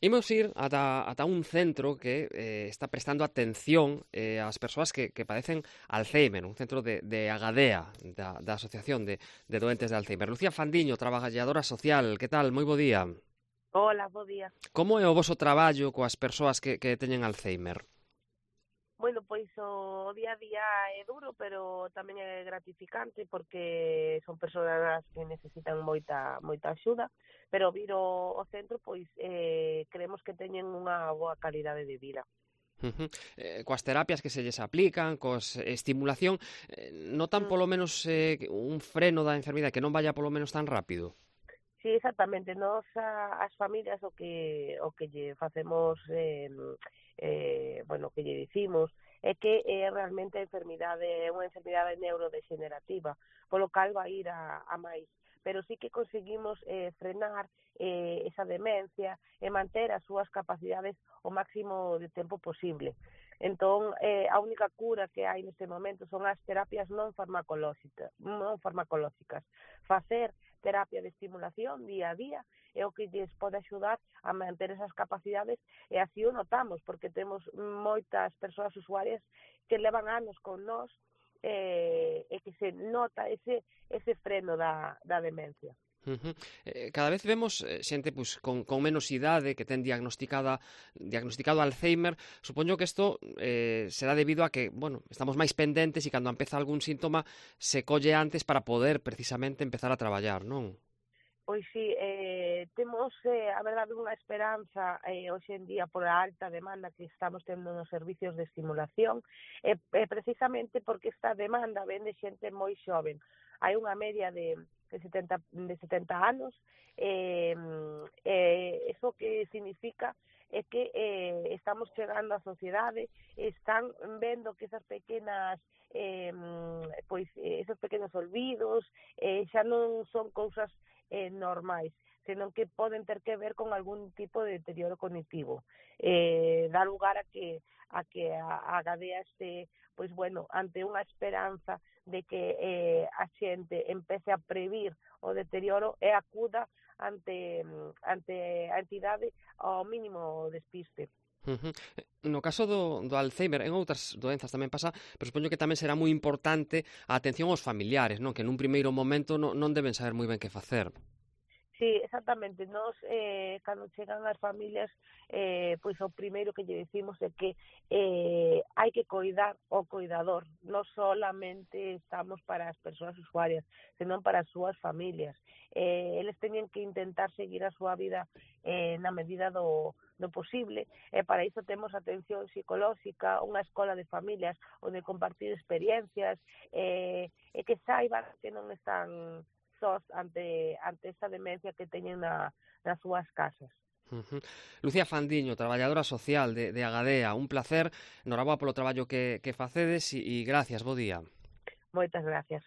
Imos ir ata un centro que está prestando atención ás persoas que padecen Alzheimer, un centro de Agadea, da Asociación de Doentes de Alzheimer. Lucía Fandiño, traballadora social, que tal? Moi bo día. Hola, bo día. Como é o voso traballo coas persoas que teñen Alzheimer? Bueno, pois o día a día é duro, pero tamén é gratificante porque son persoas que necesitan moita axuda, pero vir ao centro, pois creemos que teñen unha boa calidade de vida. Uh -huh. Coas terapias que se lles aplican, coas estimulación, notan Mm. polo menos un freno da enfermidade, que non vaya polo menos tan rápido? Sí, exactamente. Nos as familias o que lle facemos, bueno, que lle dicimos é que realmente a enfermidade é unha enfermidade neurodegenerativa, polo cal vai ir a máis. Pero sí que conseguimos frenar esa demencia e manter as súas capacidades o máximo de tempo posible. Entón, a única cura que hai neste momento son as terapias non farmacolóxicas. Facer terapia de estimulación día a día é o que lles pode axudar a manter esas capacidades e así o notamos, porque temos moitas persoas usuarias que levan anos con nós e que se nota ese freno da demencia. Uh -huh. Cada vez vemos xente pois, con menos idade que ten diagnosticado Alzheimer. Supoño que isto será debido a que, bueno, estamos máis pendentes e cando empeza algún síntoma se colle antes para poder precisamente empezar a traballar, non? Pois sí, temos, a verdade, unha esperanza hoxe en día por a alta demanda que estamos tendo nos servicios de estimulación, precisamente porque esta demanda ven de xente moi xoven. Hai unha media de 70 anos, eso que significa é que estamos chegando á sociedade, están vendo que esas pequenas esos pequenos olvidos xa non son cousas normais, senón que poden ter que ver con algún tipo de deterioro cognitivo. Dá lugar a que a Gadea este, pois bueno, ante unha esperanza de que a xente empece a previr o deterioro e acuda ante a entidade ao mínimo despiste. Uh -huh. No caso do Alzheimer, en outras doenzas tamén pasa, pero supoño que tamén será moi importante a atención aos familiares, non? Que nun primeiro momento non deben saber moi ben que facer. Sí, exactamente. Nos, cando chegan as familias, pois o primeiro que lle decimos é que hai que coidar o coidador. Non solamente estamos para as persoas usuarias, senón para as súas familias. Eles teñen que intentar seguir a súa vida na medida do posible, e para iso temos atención psicolóxica, unha escola de familias onde compartir experiencias, e que saiban que non están sós ante esta demencia que teñen nas súas casas. Uh -huh. Lucía Fandiño, traballadora social de Agadea, un placer, noraboa polo traballo que facedes e gracias, bo día. Moitas gracias.